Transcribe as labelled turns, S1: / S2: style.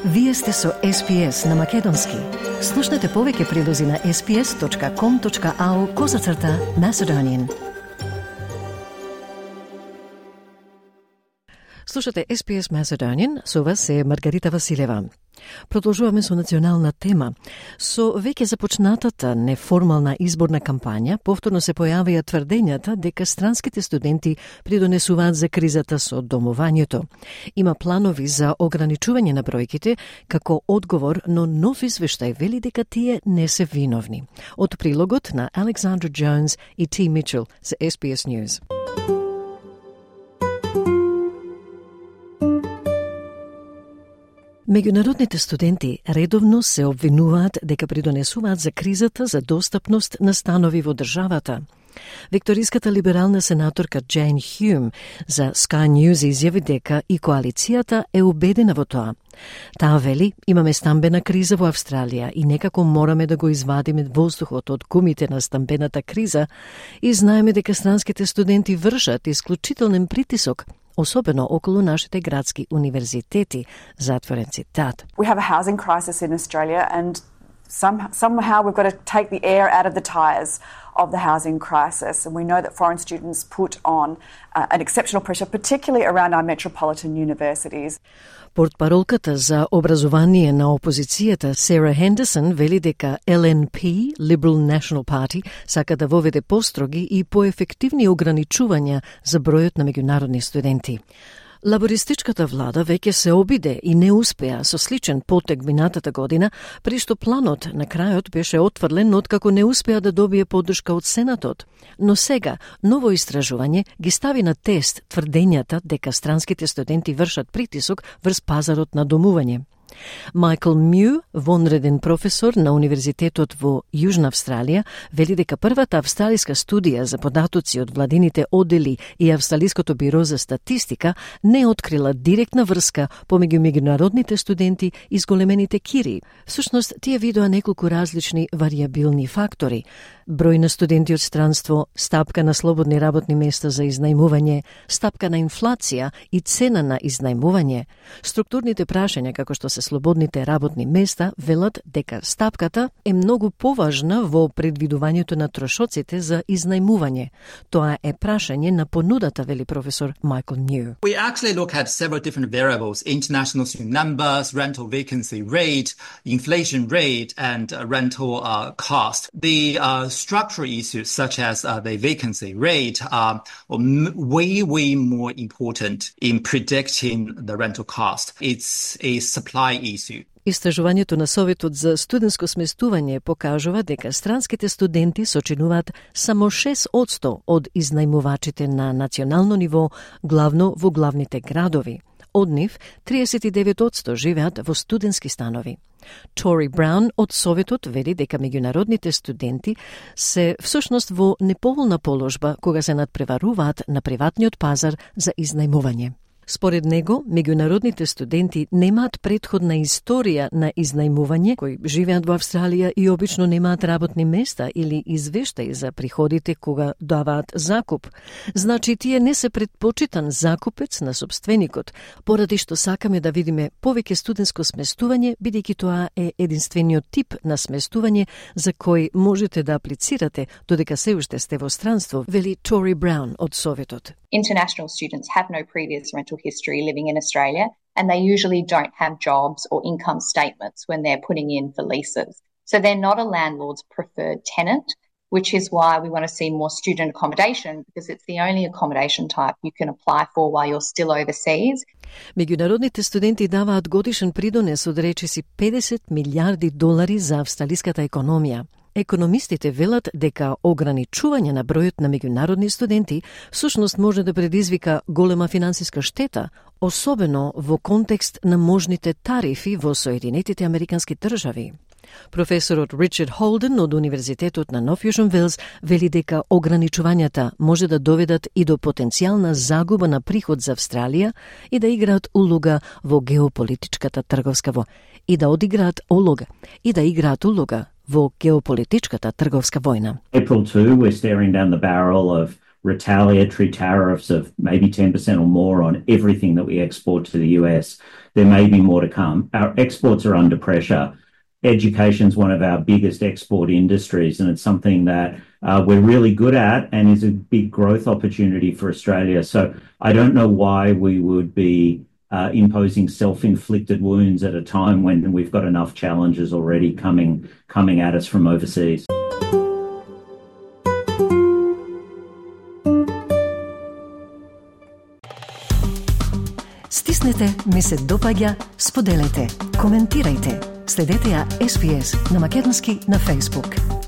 S1: Вие сте со SPS на Македонски. Слушнете повеќе прилози на sps.com.au/Macedonian. Слушате SPS Macedonian, со вас е Маргарита Василева. Продолжуваме со национална тема. Со веќе започнатата неформална изборна кампања, повторно се појавија тврдењата дека странските студенти придонесуваат за кризата со домувањето. Има планови за ограничување на бројките како одговор, но нов извештај вели дека тие не се виновни. Од прилогот на Александра Джонс и Ти Мичел за SPS News. Меѓународните студенти редовно се обвинуваат дека придонесуваат за кризата за достапност на станови во државата. Викториската либерална сенаторка Джейн Хюм за Sky News изјави дека и коалицијата е убедена во тоа. Таа вели, имаме стамбена криза во Австралија и некако мораме да го извадиме воздухот од гумите на стамбената криза и знаеме дека странските студенти вршат исклучителен притисок, особено околу нашите градски универзитети, затворен цитат.
S2: We have a housing crisis in Australia and somehow we've got to take the air out of the tires of the housing crisis, and we know that foreign students put on an exceptional pressure, particularly around our metropolitan universities.
S1: Портпаролката за образование на опозицијата Сара Хендерсон вели дека LNP, Liberal National Party, сака да воведе построги и поефективни ограничувања за бројот на меѓународни студенти. Лабористичката влада веќе се обиде и не успеа со сличен потек минатата година, при што планот на крајот беше отфрлен откако не успеа да добие поддршка од Сенатот. Но сега, ново истражување ги стави на тест тврдењата дека странските студенти вршат притисок врз пазарот на домување. Майкл Мју, вонреден професор на Универзитетот во Јужна Австралија, вели дека првата австралиска студија за податоци од владините оддели и Австралиското биро за статистика не открила директна врска помеѓу меѓународните студенти и зголемените кири. Всушност, тие видоа неколку различни варијабилни фактори: број на студенти од странство, стапка на слободни работни места за изнајмување, стапка на инфлација и цена на изнајмување. Структурните прашања, како што се слободните работни места, велат дека стапката е многу поважна во предвидувањето на трошоците за изнајмување. Тоа е прашање на понудата, вели професор Майкл Нью.
S3: We actually look at several different variables: international student numbers, rental vacancy rate, inflation rate, and rental cost. The structural issues such as the vacancy rate are way more important in predicting the rental cost. It's a supply issue.
S1: Истражувањето на Советот за студентско сместување покажува дека странските студенти сочинуваат само 6% од изнајмувачите на национално ниво, главно во главните градови. Од нив 39% живеат во студентски станови. Тори Браун од Советот вели дека меѓународните студенти се всушност во неповолна положба кога се надпреваруваат на приватниот пазар за изнајмување. Според него, меѓународните студенти немаат претходна историја на изнајмување, кои живеат во Австралија и обично немаат работни места или извештаи за приходите кога даваат закуп. Значи, тие не се предпочитан закупец на сопственикот, поради што сакаме да видиме повеќе студентско сместување, бидејќи тоа е единствениот тип на сместување за кој можете да аплицирате додека се уште сте во странство, вели Тори Браун од Советот.
S4: International students have no previous rental history living in Australia, and they usually don't have jobs or income statements when they're putting in for leases. So they're not a landlord's preferred tenant, which is why we want to see more student accommodation, because it's the only accommodation type you can apply for while you're still overseas.
S1: Меѓународните студенти даваат годишен придонес од речиси $50 милиарди за австралиската економија. Економистите велат дека ограничување на бројот на меѓународни студенти всушност може да предизвика голема финансиска штета, особено во контекст на можните тарифи во Соединетите Американски држави. Професорот Ричард Холден од Универзитетот на Нов Јужен Велс вели дека ограничувањата може да доведат и до потенцијална загуба на приход за Австралија и да играат улога во геополитичката трговска во геополитичката трговска војна.
S5: April 2, we're staring down the barrel of retaliatory tariffs of maybe 10% or more on everything that we export to the US. There may be more to come. Our exports are under pressure. Education is one of our biggest export industries, and it's something that we're really good at and is a big growth opportunity for Australia. So I don't know why we would be imposing self-inflicted wounds at a time when we've got enough challenges already coming at us from overseas.
S1: Стиснете, ми се допаѓа, споделете, коментирајте. Следете ја SBS на Македонски на Facebook.